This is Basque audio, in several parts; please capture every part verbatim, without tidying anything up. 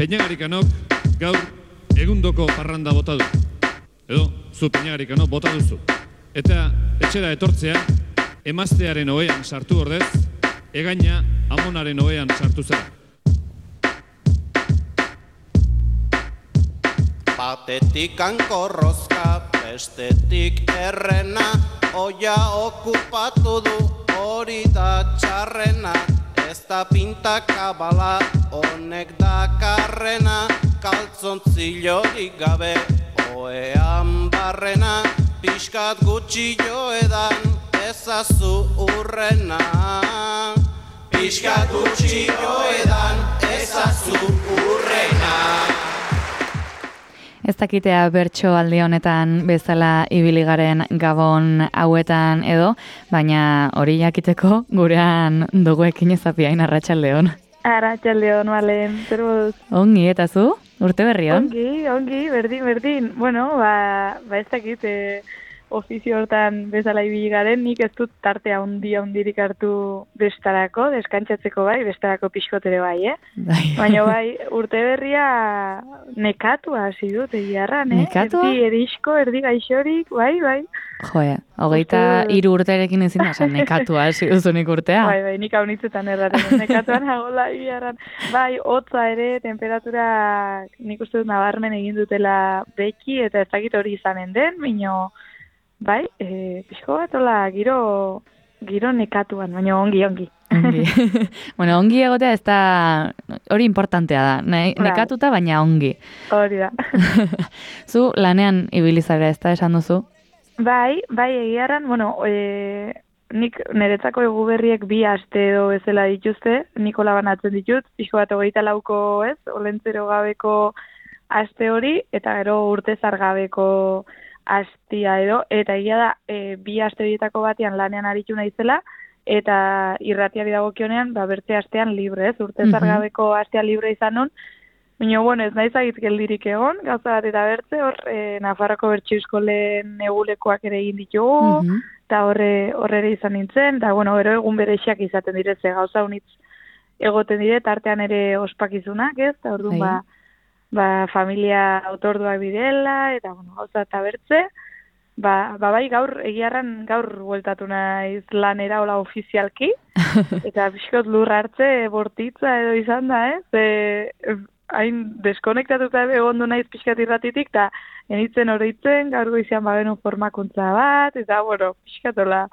Peñagarikanok gaur egundoko parranda bota du. Edo, zu Peñagarikanok bota duzu. Eta etxera etortzea, emaztearen ohean sartu ordez, egaina amonaren ohean sartu zara. Batetik hankorrozka, bestetik errena, oia okupatu du, hori da txarrena. Ez da pintakabala, honek dakarrena, kaltzontzillorik gabe, oean barrena, pixkat gutxi joedan, ezazu urrena. Pixkat gutxi joedan, ezazu urrena. Ez dakitea bertso aldi honetan bezala ibiligaren gabon hauetan edo, baina hori jakiteko gurean duguekin ezapiain arratsaldeon. Arratsaldeon, Malen, zer moduz? Ongi, eta zu? Urte berrion? Ongi, ongi, berdin, berdin. Bueno, ba, ba ez dakit, e, ofizio hortan bezala ibili garen, nik ez dut tartea handia handirik hartu bestarako, deskantzatzeko bai, bestarako pixkotere bai, eh? Bai. Baina bai, urte berria nekatua hasi dut, egiarran, eh? Nekatua? Erdi erisko, erdi gaixorik, bai, bai. Joe, hogeita hiru urterekin ezin da, esan nekatua hasi duzunik urtea. Bai, bai, nik haunitzetan erraten, nekatuan agola egiarran. Bai, hotza ere, temperatura nik uste dut nabarmen egin dutela beki, eta ez dakit hori izanen den, bino... Bai, e, pixko bat, hola, giro, giro nekatuan, baina ongi, ongi. Ongi. Bueno, ongi egotea ez da, hori importantea da, ne, nekatuta baina ongi. Hori da. Zu lanean ibilizara ez da esan duzu? Bai, bai, egiarran, bueno, e, nik niretzako eguberriek bi aste edo bezala dituzte, nikola banatzen ditut, pixko bat hogeita lauko ez, olentzero gabeko aste hori, eta gero urte zargabeko astia edo, eta egia da, e, bi aste horietako batean lanean aritu naizela, eta irratiari dagokionean, ba, bertze astean libre, ez, urte zargabeko astea libre izan nun, baina, bueno, ez naiz agit geldirik egon, gauza bat eta bertze, hor, e, Nafarroko Bertso Eskolen egulekoak ere egin ditugu, eta horre, horre ere izan nintzen, eta, bueno, gero egun berexiak izaten direze, gauza unitz egoten dire, tartean ere ospakizunak, ez, eta orduan, ba, ba, familia autorduak bidela, eta, bueno, gauza eta bertze, ba, ba bai, gaur, egiarran gaur bueltatu naiz lanera hola ofizialki, eta pixkot lur hartze bortitza edo izan da, ez? E, hain deskonektatuta egondu naiz pixkat irratitik, eta enitzen horitzen, gaur goizean bagenu formakuntza bat, eta, bueno, pixkatola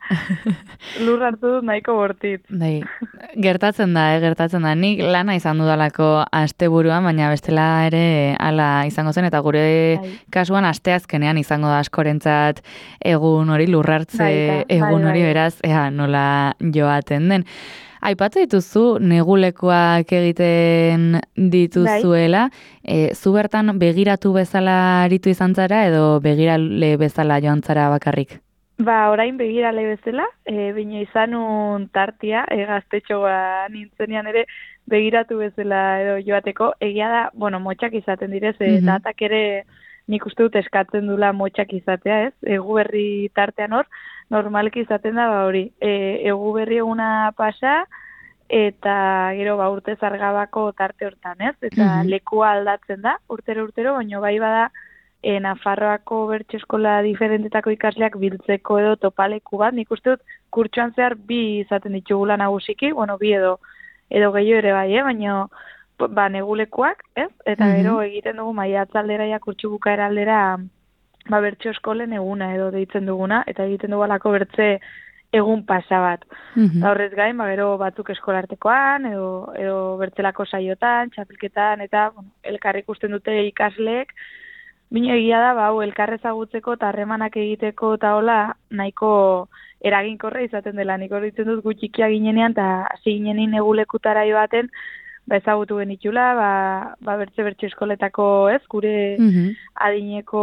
lur hartu dut nahiko bortitz. Bai, gertatzen da, eh, gertatzen da. Nik lana izan dudalako asteburuan, baina bestela ere hala izango zen, eta gure bai. Kasuan asteazkenean izango da askorentzat egun hori lurrartze bai, egun bai, hori bai. Beraz, ea, nola joaten den. Aipatu dituzu negulekoak egiten dituzuela, e, zu bertan begiratu bezala aritu izan zara edo begirale bezala joan zara bakarrik? Ba, orain begirale bezala, e, bine izanun tartia, e, gaztetxoa nintzenean ere begiratu bezala edo joateko, egia da, bueno, motxak izaten direz, e, mm-hmm. datak ere nik uste dut eskatzen dula motxak izatea, ez? Egu berri tartean hor, normalki izaten da, ba hori, e, egu berri eguna pasa, eta gero ba urte zargabako tarte hortan, ez? Eta mm-hmm. lekua aldatzen da, urtero-urtero, baina bai bada, e, Nafarroako Bertso Eskola diferentetako ikasleak biltzeko edo topaleku bat, nik uste dut kurtsuan zehar bi izaten ditugula nagusiki, bueno, bi edo, edo gehiago ere bai, eh? Baina ba, negulekuak, ez? Eta mm-hmm. gero egiten dugu maiatzaldera ja kurtsu bukaera aldera ba, Bertso Eskolen eguna edo deitzen duguna, eta egiten dugu alako bertze egun pasa bat. Mm-hmm. Horrez gain, ba, gero batzuk eskolartekoan, edo, edo bertzelako saiotan, txapelketan, eta bueno, elkarrik ikusten dute ikasleek, bine egia da, ba, elkarre ezagutzeko eta harremanak egiteko eta hola, nahiko eraginkorra izaten dela. Nik hori ditzen dut gutxikia ginenean, eta hasi ginenin egulekutara joaten, ba, ezagutu genitula, ba, ba bertze bertso eskoletako, ez, gure mm-hmm. adineko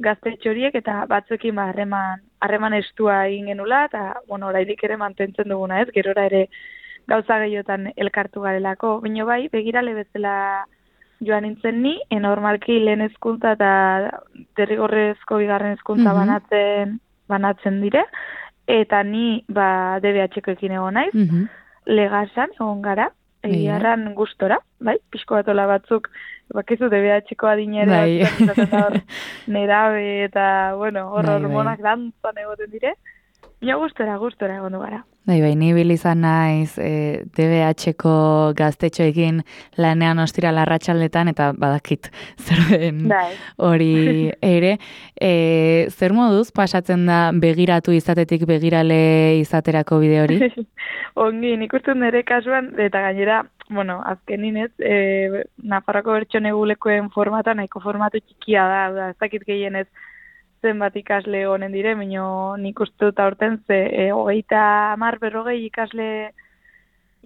gaztetxo horiek, eta batzuekin ba, harreman, harreman estua egin genula, eta, bueno, orairik ere mantentzen duguna, ez, gerora ere gauza gehiotan elkartu garelako. Baina bai, begirale bezala joan nintzen ni, enormalki lehen hezkuntza eta derrigorrezko bigarren hezkuntza mm-hmm. banatzen, banatzen dire, eta ni ba D B H-koekin egon naiz, mm-hmm. Legasan egon gara, egiarran gustora, bai, pixko batola batzuk, bakizu D B H-ko adinera, bai. nerabe eta, bueno, hor bai, hormonak bai. dantzan egoten dire, ja gustora, gustora egon du gara. Bai, bai, ni bil izan naiz e, D B H-ko gaztetxoekin lanean ostira larratxaldetan, eta badakit zer den hori ere. E, zer moduz pasatzen da begiratu izatetik begirale izaterako bide hori? Ongi, nik uste nire kasuan, eta gainera, bueno, azkenin ez, e, Nafarroako bertsonegulekoen formata, nahiko formatu txikia da, da ez dakit gehienez, zenbat ikasle honen dire, baina nik uste dut aurten ze e, hogeita hamar berrogei ikasle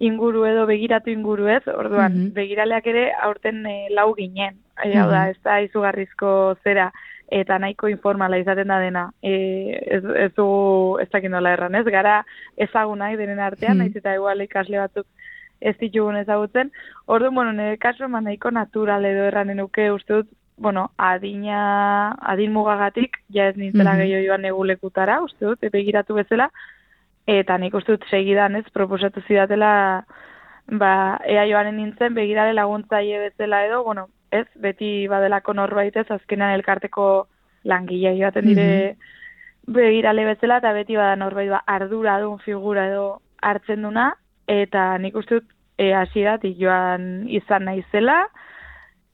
inguru edo begiratu inguru ez, orduan, mm-hmm. begiraleak ere aurten e, lau ginen, e, hau da, ez da izugarrizko zera, eta nahiko informala izaten da dena, e, ez, ez du, ez dakit nola erran, ez, gara ezagunak denen artean, mm-hmm. naiz eta igual ikasle batzuk ez ditugun ezagutzen, orduan, bueno, nire kasu nahiko natural edo erranen uke uste dut, bueno, adina, adin mugagatik, ja ez nintzela mm-hmm. gehiago joan negulekutara, uste dut, begiratu bezala, eta nik uste dut segidan ez, proposatu zidatela, ba, ea joanen nintzen, begirale laguntzaile bezala edo, bueno, ez, beti badelako norbait ez, azkenean elkarteko langilea joaten dire mm-hmm. begirale bezala, eta beti bada norbait ba, ardura duen figura edo hartzen duna, eta nik uste dut, e, hasieratik joan izan naizela,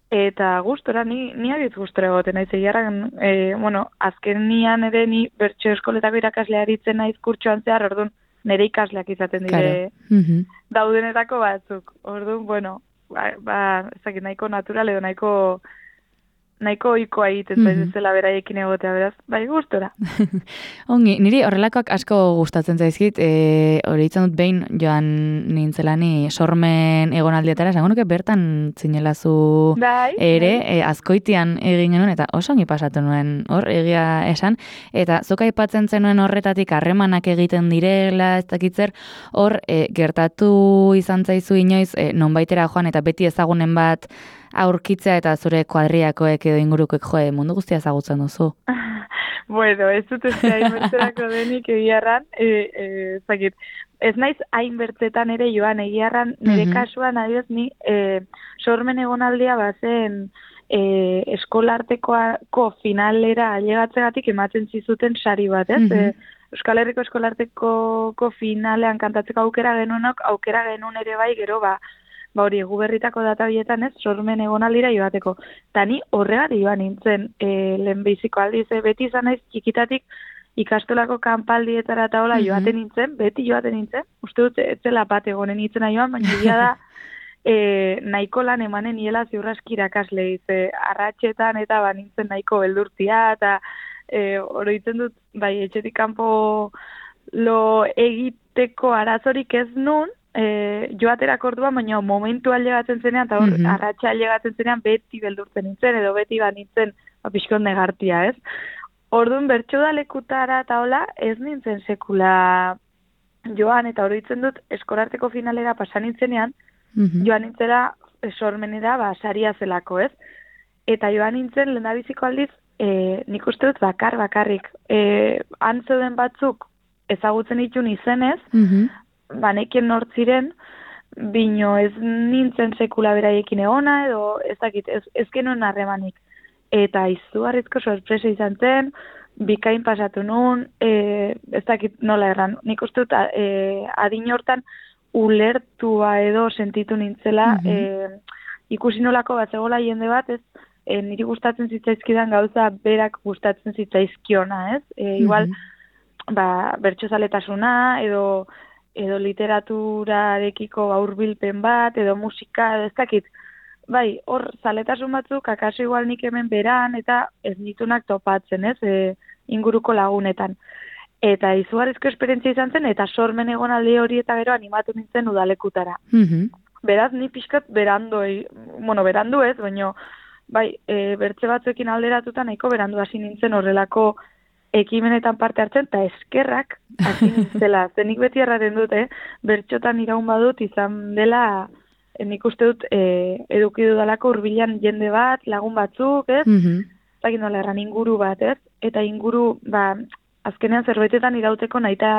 eta gustora, ni, ni abitz gustora egoten naiz, egiarran, e, bueno, azken nian ere ni bertso eskoletako irakaslea aritzen naiz kurtsoan zehar, orduan, nire ikasleak izaten dire mm-hmm. daudenetako batzuk. Orduan, bueno, ba, ba ezakit, nahiko natural edo nahiko nahiko ohikoa egiten mm-hmm. zaizela beraiekin egotea, beraz, bai gustora. Ongi, niri horrelakoak asko gustatzen zaizkit, e, hori itzen dut behin joan nintzelani sormen egonaldietara, esango nuke bertan zinelazu bai, ere, bai. E, azkoitian egin genuen, eta oso ongi pasatu nuen hor, egia esan, eta zuk aipatzen zenuen horretatik harremanak egiten direla, ez dakitzer, hor e, gertatu izan zaizu inoiz, e, nonbaitera joan, eta beti ezagunen bat, aurkitzea eta zure kuadriakoek edo ingurukoek joe mundu guztia ezagutzen duzu. Bueno, ez dut ez hainbertzerako denik egiarran, e, e, zakit, ez naiz hainbertzetan ere joan egiarran, nire mm-hmm. kasuan adioz ni e, sormen egonaldia bazen e, eskolartekoako finalera ailegatzegatik ematen zizuten sari bat, ez? Mm-hmm. E, Euskal Herriko eskolartekoko finalean kantatzeko aukera genuenok, aukera genuen ere bai gero ba, ba hori, guberritako data bietan ez, sormen egonaldira joateko. Ta ni horregati joan nintzen, e, lehenbiziko aldiz, beti izan naiz txikitatik ikastolako kanpaldietara eta hola mm-hmm. joaten nintzen, beti joaten nintzen, uste dut, ez zela bat egonen nintzen joan, baina egia da, e, nahiko lan emanen niela ziurraski irakasle, ze arratxetan eta ba nintzen nahiko beldurtia, eta e, oroitzen dut, bai, etxetik kanpo lo egiteko arazorik ez nun, E, joaterak orduan, baina momentu aldegatzen zenean, eta hor, mm-hmm. arratxa aldegatzen zenean, beti beldurtzen nintzen, edo beti ba nintzen, ba, pixkon negartia, ez? Orduan, bertso da lekutara eta hola, ez nintzen sekula joan, eta horitzen dut, eskorarteko finalera pasan nintzenean, mm-hmm. joan nintzera, sormenera, ba, saria zelako, ez? Eta joan nintzen, lehendabiziko aldiz, e, nik uste dut bakar, bakarrik, e, antzeuden batzuk ezagutzen ditun izenez, mm-hmm. banekien nortziren, bino ez nintzen sekula beraiekin egona, edo ez dakit, ez, ez genuen harremanik. Eta izugarrizko sorpresa izan zen, bikain pasatu nun, e, ez dakit nola erran. Nik uste dut, e, adin hortan ulertua edo sentitu nintzela, mm-hmm. e, ikusi nolako bat zegoela jende bat, ez, e, niri gustatzen zitzaizkidan gauza berak gustatzen zitzaizkiona, ez? E, igual, mm-hmm. ba, bertsozaletasuna, edo edo literaturarekiko hurbilpen bat, edo musika, ez dakit. Bai, hor, zaletasun batzuk, akaso igual nik hemen beran, eta ez nitunak topatzen, ez, e, inguruko lagunetan. Eta izugarrizko esperientzia izan zen, eta sormen egonaldi hori eta gero animatu nintzen udalekutara. Mm-hmm. Beraz, ni pixkat berandu, bueno, berandu ez, baina, bai, e, bertze batzuekin alderatuta nahiko berandu hasi nintzen horrelako ekimenetan parte hartzen, eta eskerrak hasi nintzela. Zenik beti erraten dut, eh? Bertxotan iraun badut izan dela, nik uste dut, e, eduki dudalako hurbilan jende bat, lagun batzuk, ez? Mm-hmm. Zakin nola erran inguru bat, ez? Eta inguru, ba, azkenean zerbetetan irauteko nahita,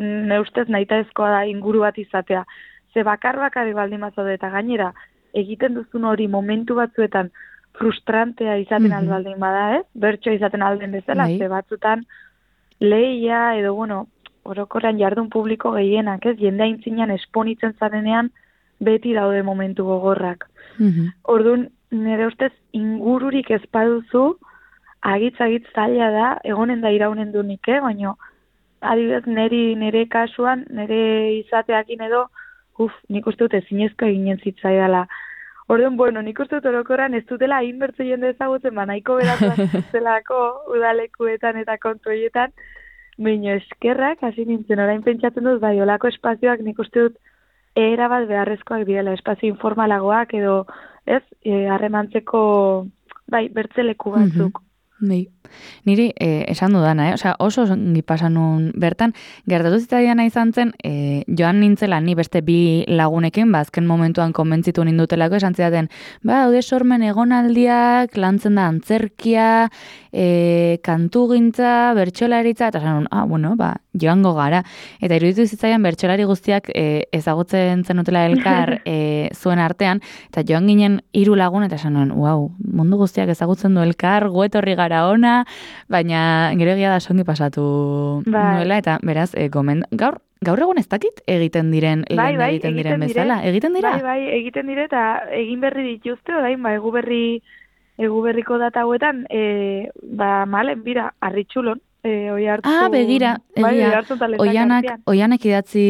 neustez nahita ezkoa da inguru bat izatea. ze bakar bakarrik baldin bazaude eta gainera egiten duzun hori momentu batzuetan frustrantea izaten Mhm. albaldin bada, ez? Bertso izaten alden bezala, Bai. ze batzutan lehia edo, bueno, orokorrean jardun publiko gehienak, ez? Jende aintzinean esponitzen zarenean beti daude momentu gogorrak. Mhm. Orduan, nire ustez ingururik ez baduzu, agitz-agitz zaila da, egonen da iraunen du nik, eh? Baina, adibidez, niri, nire kasuan, nire izateakin edo, uf, nik uste dut ezinezko eginen zitzaidala. Orduan, bueno, nik uste dut orokorran ez dutela hainbertze jende ezagutzen, ba, nahiko beratu zelako udalekuetan eta kontuetan, baina eskerrak, hasi nintzen, orain pentsatzen dut, bai, olako espazioak nik uste dut era bat beharrezkoak direla, espazio informalagoak edo, ez, eh, harremantzeko, bai, bertzeleku batzuk. Bai. Niri eh, esan dudana, eh? Osea, oso ongi pasan nun bertan, gertatu zitzaiana izan zen, eh, joan nintzela ni beste bi lagunekin, ba, azken momentuan konbentzitu nindutelako, esan zidaten, ba, haude sormen egonaldiak, lantzen da antzerkia, eh, kantugintza, bertsolaritza, eta esan nun, ah, bueno, ba, joango gara. Eta iruditu zitzaian bertsolari guztiak eh, ezagutzen zenutela elkar eh, zuen artean, eta joan ginen hiru lagun, eta esan nun, wow, mundu guztiak ezagutzen du elkar, guetorri gara ona, baina gero egia da songi pasatu Bai. nuela, eta beraz, e, gomen, gaur, gaur egun ez dakit egiten diren, Bai, lehen bai, egiten diren egiten dire. bezala. Egiten dira? Bai, bai, egiten dire eta egin berri dituzte, orain, ba, egu berri, egu berriko data hauetan, e, ba, malen, bira, arritxulon, e, oi hartu... Ah, begira, bai, egia, oi hartu eta lehenak oianak, artean. oianek idatzi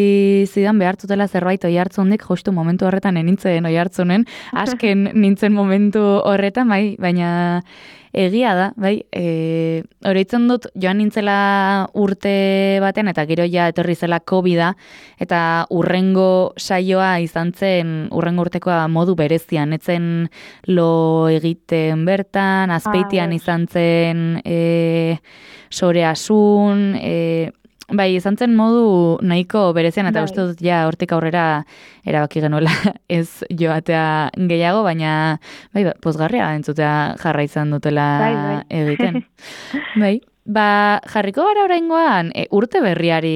zidan behartutela zerbait oi hartzundik, justu momentu horretan enintzen oi hartzunen, asken nintzen momentu horretan, bai, baina egia da, bai, e, oroitzen dut joan nintzela urte batean, eta gero ja etorri zela covida, eta urrengo saioa izan zen, urrengo urtekoa modu berezian, etzen lo egiten bertan, azpeitian Ah, izan zen e, soreasun, e, bai, izan zen modu nahiko berezian, eta Bai. uste dut ja hortik aurrera erabaki genuela ez joatea gehiago, baina bai, ba, pozgarria entzutea jarra izan dutela Bai, bai. egiten. Bai, ba, jarriko gara oraingoan e, urte berriari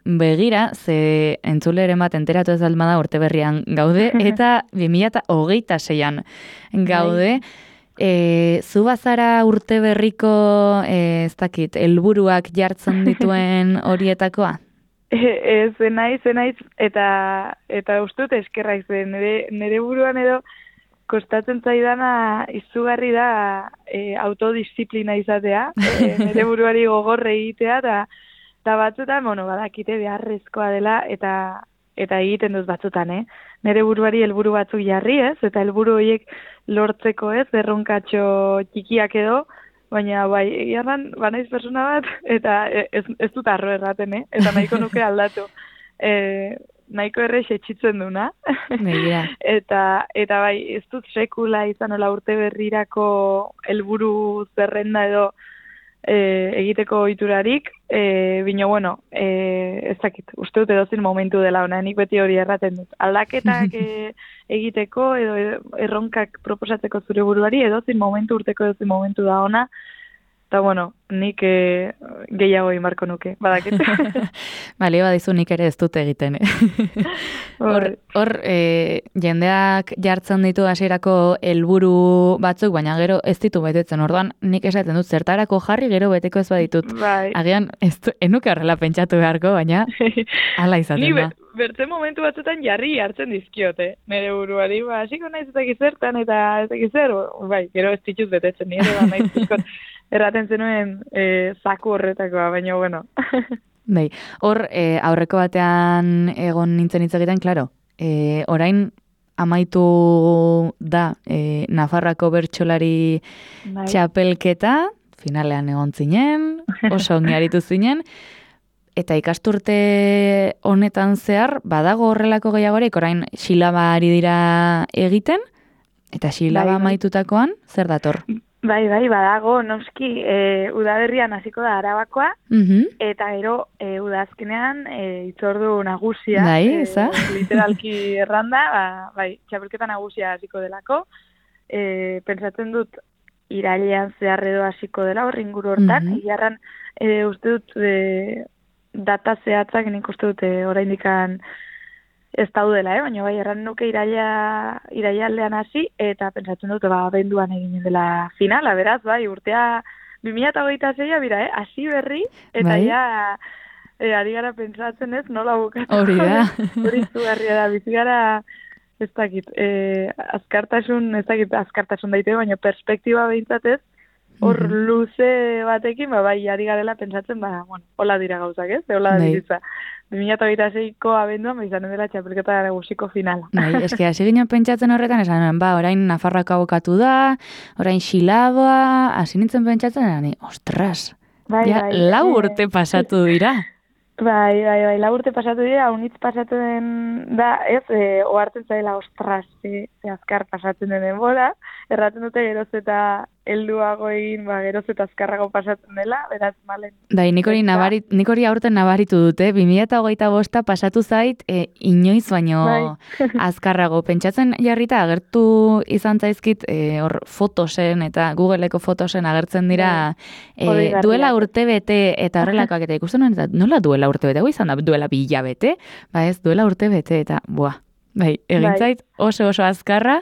begira, ze entzuleren bat enteratu ez alma da urte berrian gaude, eta bi mila hogeita seian gaude. E, zu bazara urte berriko, e, ez dakit, helburuak jartzen dituen horietakoa? Ez, zenaiz, zenaiz, eta, eta uste dut eskerra izan, nire, nire buruan edo kostatzen zaidana izugarri da e, autodisziplina izatea, e, nire buruari gogorre egitea, eta, eta batzutan, bueno, badakite beharrezkoa dela, eta eta egiten duz batzutan, eh? Nire buruari helburu batzuk jarri, ez? Eta helburu horiek lortzeko, ez? Erronkatxo txikiak edo, baina bai, egiarran, banaiz persona bat, eta ez, ez dut arro erraten, eh? Eta nahiko nuke aldatu. E, nahiko errex etxitzen duna. Begira. eta, eta bai, ez dut sekula izan hola urte berrirako helburu zerrenda edo e, egiteko ohiturarik, e, bino, bueno, e, ez dakit, uste dut edozin momentu dela ona, nik beti hori erraten dut. Aldaketak e, egiteko edo erronkak proposatzeko zure buruari, edozin momentu urteko edozin momentu da ona, eta bueno, nik e, gehiago inbarko nuke, badakit. Bale, badizu nik ere ez dut egiten. Eh? Hor, hor e, jendeak jartzen ditu hasierako helburu batzuk, baina gero ez ditu betetzen. Orduan nik esaten dut zertarako jarri, gero beteko ez baditut. Bai. Agian ez du, enuke horrela pentsatu beharko, baina hala izaten Ni da. be, bertzen momentu batzutan jarri hartzen dizkiote, nire buruari, ba, hasiko naiz ez zertan eta ez zer, bai, gero ez dituz betetzen, nire da naiz zikot, erraten zenuen e, zaku horretakoa, baina bueno. Bai, hor e, aurreko batean egon nintzen hitz egiten, klaro, e, orain amaitu da e, Nafarroako bertsolari Bai. txapelketa, finalean egon zinen, oso ongi aritu zinen, eta ikasturte honetan zehar, badago horrelako gehiagorik, orain xilaba ari dira egiten, eta xilaba Bai, bai. amaitutakoan, zer dator? Bai, bai, badago, noski, e, udaberrian hasiko da Arabakoa, Mhm. eta gero e, udazkenean e, itzordu nagusia, Bai, e, eza. literalki erranda, ba, bai, txapelketa nagusia hasiko delako, e, pentsatzen dut irailean zehar edo hasiko dela hor inguru hortan, Mhm. egiarran e, uste dut e, data zehatzak nik uste dut e, oraindikan ez daudela, eh? Baina bai, erran nuke iraila, iraialdean hasi, eta pentsatzen dut, ba, abenduan eginen dela finala, beraz, bai, urtea bi mila hogeita seia bira, eh? Hasi berri, eta bai? ja, e, ari gara pentsatzen ez, nola bukatu. Hori da. Hori zugarria da, bizi gara, ez dakit, e, azkartasun, ez dakit, azkartasun daite, baina perspektiba behintzatez, hor Mhm. luze batekin, ba, bai, ari garela pentsatzen, ba, bueno, hola dira gauzak, ez? Hola da Bai. bizitza. bi mila hogeita seiko abenduan, ba, izanen dela txapelketa nagusiko finala. Bai, eske hasi ginen pentsatzen horretan, esan nuen, ba, orain Nafarroako abokatu da, orain Xilaboa, hasi nintzen pentsatzen, ni, ostras, Bai, ja, bai, lau eh, urte pasatu dira. Bai, bai, bai, lau urte pasatu dira, unitz pasatzen da, ez, e, ohartzen zaila, ostras, ze, ze azkar pasatzen den denbora, erraten dute geroz eta helduago egin, ba, geroz eta azkarrago pasatzen dela, beraz, malen. Bai, nik hori, nabarit, nik hori aurten nabaritu dute, bi mila hogeita bosta pasatu zait, e, inoiz baino Bai. azkarrago. Pentsatzen jarrita agertu izan zaizkit, e, hor fotosen eta Googleeko fotosen agertzen dira e, Bai. duela urte bete eta horrelakoak eta ikusten nuen, eta nola duela urte bete, hau izan da duela bi hilabete, ba ez, duela urte bete eta, buah. Bai, egin Bai. zait oso oso azkarra,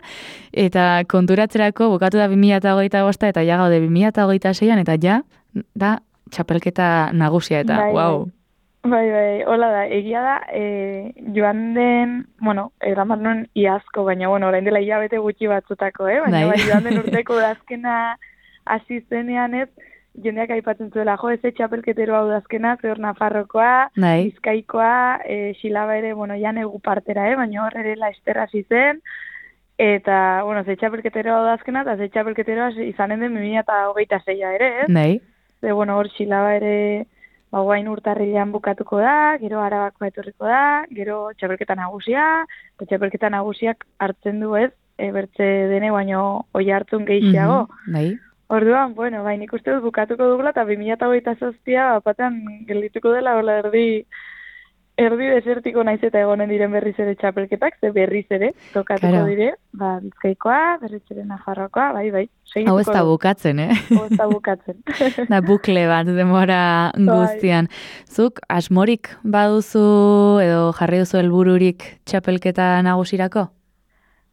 eta konturatzerako bukatu da bi mila hogeita bosta eta ja gaude bi mila hogeita seian, eta ja, da txapelketa nagusia, eta, Bai, wow. Bai, bai, hola da, egia da, e, joan den, bueno, eraman nuen iazko, baina, bueno, orain dela hilabete gutxi batzutako, eh? Baina, Bai. bai, joan den urteko azkena hasi zenean ez, jendeak aipatzen zuela, jo, ez txapelketero hau da azkena, zehor Nafarrokoa, Bai. Bizkaikoa, e, Xilaba ere, bueno, ja negu partera, eh? Baina hor ere laizter hasi zen, eta, bueno, ze txapelketero hau da azkena, eta ze txapelketero izanen den bi mila hogeita seia ere, ez? Bai. Ze, bueno, hor Xilaba ere, ba, guain urtarrilean bukatuko da, gero Arabakoa etorriko da, gero txapelketa nagusia, eta txapelketa nagusiak hartzen du ez, e, bertze dene baino oi hartzun gehiago. Mhm, bai. Orduan, bueno, bai, nik uste dut bukatuko dugula, eta bi mila hogeita zazpia, batean geldituko dela, hola erdi, erdi desertiko naiz eta egonen diren berriz ere txapelketak, ze berriz ere, tokatuko Claro. dire, ba, Bizkaikoa, berriz ere Nafarroakoa, bai, bai. Hau ez da bukatzen, eh? Hau ez da bukatzen. Da bukle bat demora Bai. guztian. Zuk asmorik baduzu edo jarri duzu helbururik txapelketa nagusirako?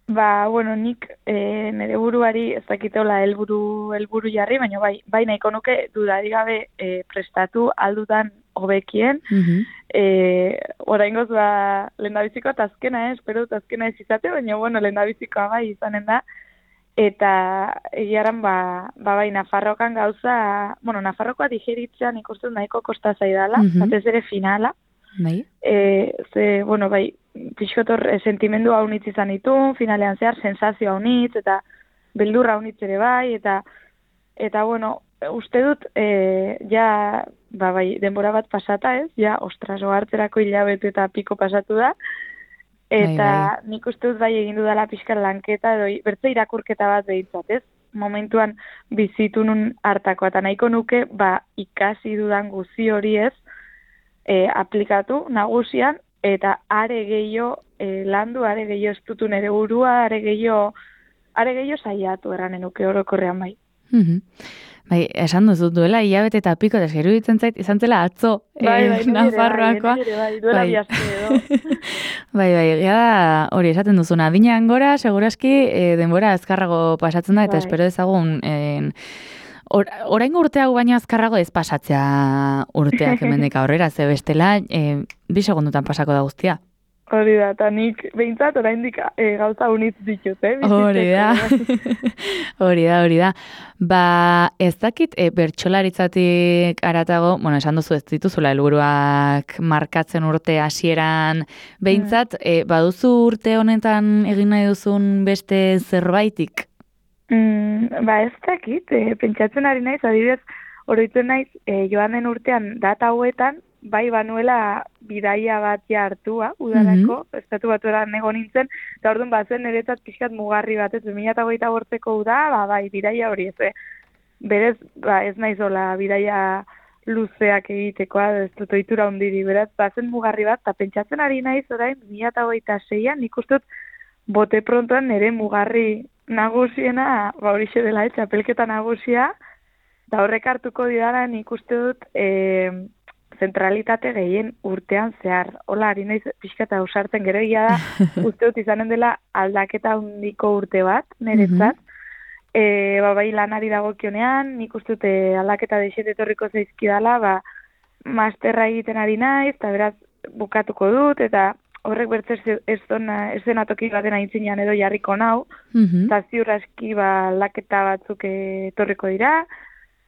Ba, bueno, nik e, nire buruari ez dakiteola helburu helburu jarri, baina bai, bai nahiko nuke dudari gabe e, prestatu aldutan hobekien. Mhm. E, oraingoz ba, lehendabizikoa eta azkena, eh? Espero dut azkena ez izate, baina bueno, lehendabizikoa bai izanen da. Eta egiaran ba, ba bai Nafarrokan gauza, bueno, Nafarrokoa digeritzean ikusten nahiko kosta zaidala, Mhm. batez ere finala. Bai. E, ze, bueno, bai, pixkotor e, sentimendu haunitz izan ditu, finalean zehar, sensazio haunitz, eta beldurra haunitz ere bai, eta, eta bueno, uste dut, e, ja, ba, bai, denbora bat pasata ez, ja, ostras, ohartzerako hilabete eta piko pasatu da, eta Bai, nik uste dut bai egin dudala pixkar lanketa, edo bertze irakurketa bat behintzat, ez? Momentuan bizitu nun hartakoa, eta nahiko nuke, ba, ikasi dudan guzi hori ez, e, aplikatu nagusian, eta are gehiago e, landu, are gehiago estutu nere burua, are gehiago, are gehiago saiatu eranen nuke orokorrean bai. Mhm. Bai, esan duzu duela hilabete eta piko, eta zeru ditzen zait, izan zela atzo Bai, bai, eh, nire ere Nafarroakoa. bai, nire ere bai, duela Bai. bi aste edo. Bai, bai, egia da, hori esaten duzuna, adinean gora, seguraski e, denbora azkarrago pasatzen da, eta Bai. espero dezagun, en, or, oraingo urteago baino azkarrago ez pasatzea urteak hemendik aurrera, ze bestela, e, bi segundutan pasako da guztia. Hori da, eta nik behintzat oraindik e, gauza unitz ditut, eh? Hori da, bizitzeko. hori da, hori da. Ba, ez dakit, e, bertsolaritzatik aratago, bueno, esan duzu ez dituzula helburuak markatzen urte hasieran, behintzat, e, baduzu urte honetan egin nahi duzun beste zerbaitik? Mm, ba ez dakit, e, pentsatzen ari naiz, adibidez, oroitzen naiz, e, joan den urtean data hauetan, bai banuela bidaia bat ja hartua, udarako, mm estatu batueran egon nintzen, eta orduan bazen niretzat pixkat mugarri bat, ez bi mila hogeita bortzeko uda, ba bai, bidaia hori ez, eh? Berez, ba ez naizola bidaia luzeak egitekoa, ez dut ohitura handiri, beraz, bazen mugarri bat, eta pentsatzen ari naiz orain, bi mila hogeita seian, nik uste dut, bote prontoan nire mugarri nagusiena, ba horixe dela, eh, txapelketa nagusia, eta horrek hartuko didara nik uste dut, e, zentralitate gehien urtean zehar. Hola, ari naiz pixka eta ausartzen gero egia da, uste dut izanen dela aldaketa handiko urte bat, niretzat. E, ba, bai lanari dagokionean, nik uste dut aldaketa deixet etorriko zaizkidala, ba, masterra egiten ari naiz, eta beraz bukatuko dut, eta horrek bertzez ez zenatoki baten aintzinean edo jarriko nau, eta ziur aski ba, aldaketa batzuk etorriko dira,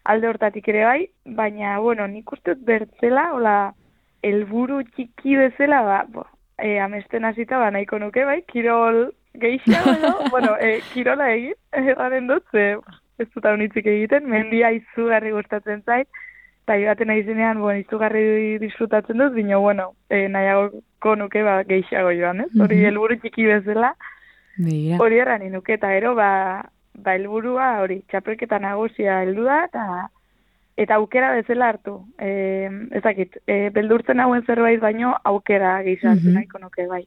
alde hortatik ere bai, baina, bueno, nik uste dut bertzela, hola, helburu txiki bezala, ba, bo, e, amesten hasita, ba, nahiko nuke, bai, kirol gehiago, edo, bueno, e, kirola egin, erraren dut, ze, ez dut hau nitzik egiten, mendia izugarri gustatzen zait, eta joaten aizenean, bueno, izugarri disfrutatzen dut, bino, bueno, e, nahiagoko nuke, ba, gehiago joan, ez? Hori mm-hmm. helburu txiki bezala, Mira. Hori erran inuke, eta ero, ba, ba, helburua hori, txapelketa nagusia heldu da, eta eta aukera bezala hartu. E, ezakit, e, beldurtzen hauen zerbait baino, aukera gehiago mm-hmm. nahiko nuke, bai.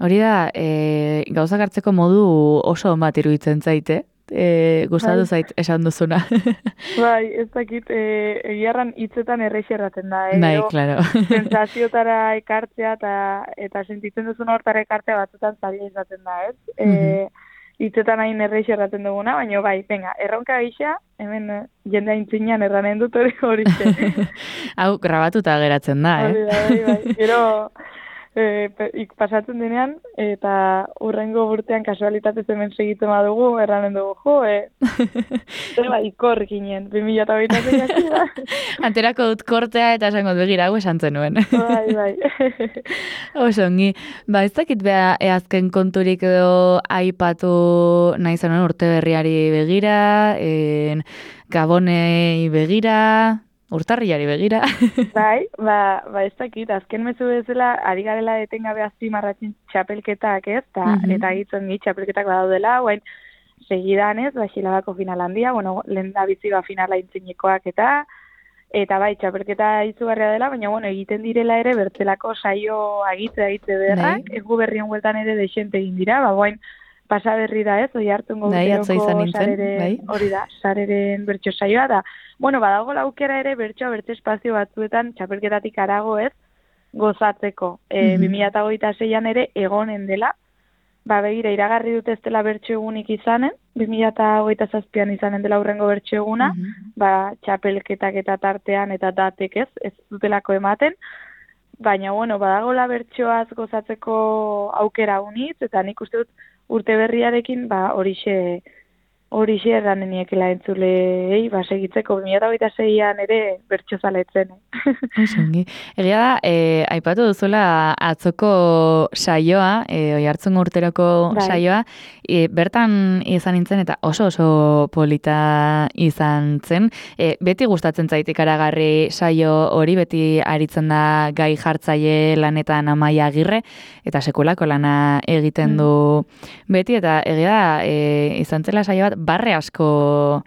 Hori da, e, gauzak hartzeko modu oso on bat iruditzen zaite, e, gustatu zait esan duzuna. Bai, ez dakit, e, egiarran hitzetan errexerraten da. Eh? Bai, klaro. Sensazioetara ekartzea eta, eta sentitzen duzuna hortara ekartzea batzutan zaila izaten da, ez? E, mm-hmm. Hitzetan hain errexerraten duguna, baina bai, venga, erronka gisa, hemen jende aintzinean erranen dut hori hori. Hau, grabatuta geratzen da, eh? Hori da, bai, bai. Gero, e, pasatzen denean, eta urrengo urtean kasualitatez hemen segitzen badugu, erranen dugu, jo, e, eba, ikor ginen, bi mila eta hogeita sei da. Anterako dut kortea eta esango begira, hau esan zenuen. Bai, bai. Oso, ongi. Ba, ez dakit beha eazken konturik edo aipatu nahi zenuen urte berriari begira, en, Gabonei begira, urtarriari begira. Bai, ba, ba ez dakit, azken mezu bezala, ari garela etengabe azpimarratzen txapelketak, ez? Ta, mm-hmm. Eta hitzen gi txapelketak badaudela, guain segidan ez, ba, xilabako final handia, bueno, lehen da bizi ba finala intzinekoak eta, eta bai, txapelketa izugarria dela, baina, bueno, egiten direla ere, bertzelako saio agitze agitze berrak, egu berrien hueltan ere deixente egin dira, ba, guain, pasa berri da ez, oi hartungo urteroko sareren, hori da, sareren bertso saioa da. Bueno, badago laukera ere bertsoa bertso espazio batzuetan txapelketatik arago ez gozatzeko. E, mm-hmm. bi mila hogeita seian ere egonen dela, ba begira, iragarri dut ez dela bertso egunik izanen, bi mila hogeita zazpian izanen dela urrengo bertso eguna, mm-hmm. ba txapelketak eta tartean eta datek ez, ez dutelako ematen, baina, bueno, badagola bertsoaz gozatzeko aukera unitz, eta nik uste dut urte berriarekin, ba, horixe, horixe erraneniekela entzulei, ba, segitzeko, bi mila hogeita seian ere bertso zaletzen. Osongi. Egia da, e, aipatu duzula atzoko saioa, e, oi hartzun urteroko bai. saioa, e, bertan izan nintzen eta oso oso polita izan zen. E, beti gustatzen zait ikaragarri saio hori, beti aritzen da gai jartzaile lanetan Amaia Agirre, eta sekulako lana egiten du beti, eta egia da, e, izan zela saio bat, barre asko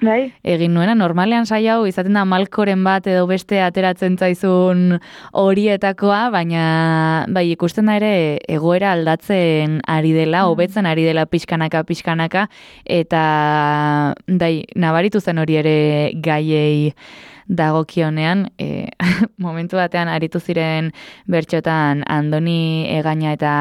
bai. Egin nuena, normalean saio hau izaten da malkoren bat edo beste ateratzen zaizun horietakoa, baina bai, ikusten da ere egoera aldatzen ari dela, hobetzen ari dela pixkanaka, pixkanaka, eta dai, nabaritu zen hori ere gaiei dagokionean, e, momentu batean aritu ziren bertxotan Andoni Egaña eta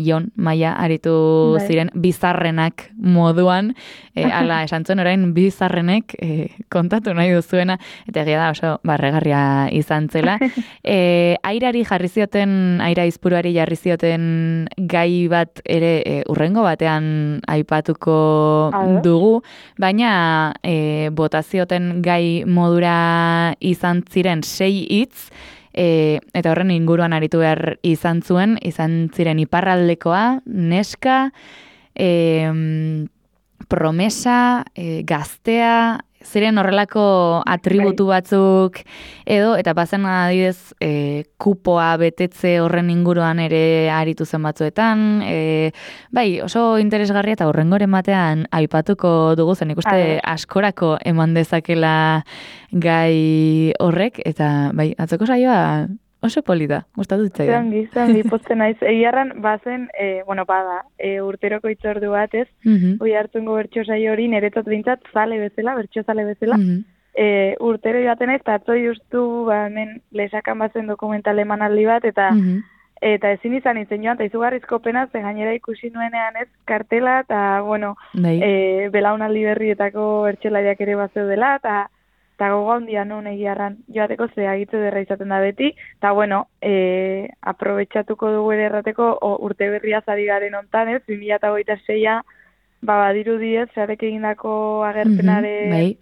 Jon Maia aritu bai. ziren bizarrenak moduan, e, ala esan zuen orain bizarrenek e, kontatu nahi duzuena, eta egia da oso barregarria izan zela. E, airari jarri zioten, aira izpuruari jarri zioten gai bat ere e, urrengo batean aipatuko Ado. dugu, baina e, botazioten gai modura izan ziren sei hitz, e, eta horren inguruan aritu behar izan zuen, izan ziren iparraldekoa, neska, e, promesa, e, gaztea, ziren horrelako atributu batzuk edo, eta bazen adidez e, kupoa betetze horren inguruan ere aritu zen batzuetan, e, bai, oso interesgarria eta horrengoren batean aipatuko dugu zen ikuste askorako eman dezakela gai horrek, eta bai, atzoko saioa oso polita, gustatu zitzaidan. Zangi, zangi, pozten naiz. Egiarran, bazen, e, bueno, bada, e, urteroko itzordu bat, ez? Mm-hmm. Oi hartzungo bertso saio hori, niretzat bintzat, zale bezala, bertso zale bezala. Mm-hmm. e, urtero joaten naiz, eta atzo justu, ba, hemen lesakan bazen dokumental emanaldi bat, eta Mhm. eta ezin izan itzen joan, eta izugarrizko pena, ze gainera ikusi nuenean ez kartela, eta, bueno, Bai. e, belaunaldi berrietako bertsolariak ere bat zeudela, eta eta gogo handia nun egiarran joateko ze agitze derra izaten da beti, eta bueno, e, aprobetxatuko dugu ere errateko o, urte berria zari garen ontan, ez, bi mila hogeita seia, ba, badiru diez, zarek egindako agerpenare, Mhm, bai.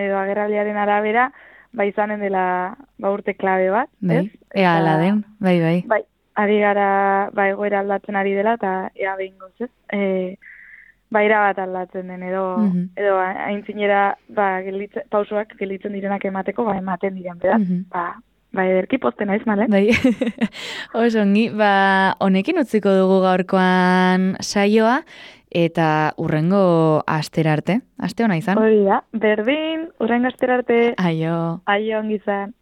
edo agerraldiaren arabera, ba, izanen dela ba, urte klabe bat, Bai, ez? ea ala den, bai, bai. Bai, ari gara, ba, egoera aldatzen ari dela, eta ea behin goz, ez? E, ba, bat aldatzen den, edo, Mhm. edo aintzinera, ba, gelitze, pausoak gelitzen direnak emateko, ba, ematen diren, beraz, Mhm. ba, ba, ederki posten naiz, male? Bai, oso ongi, ba, honekin utziko dugu gaurkoan saioa, eta urrengo astera arte, aste ona izan. Hori da, berdin, urrengo astera arte, Aio. aio ongi izan.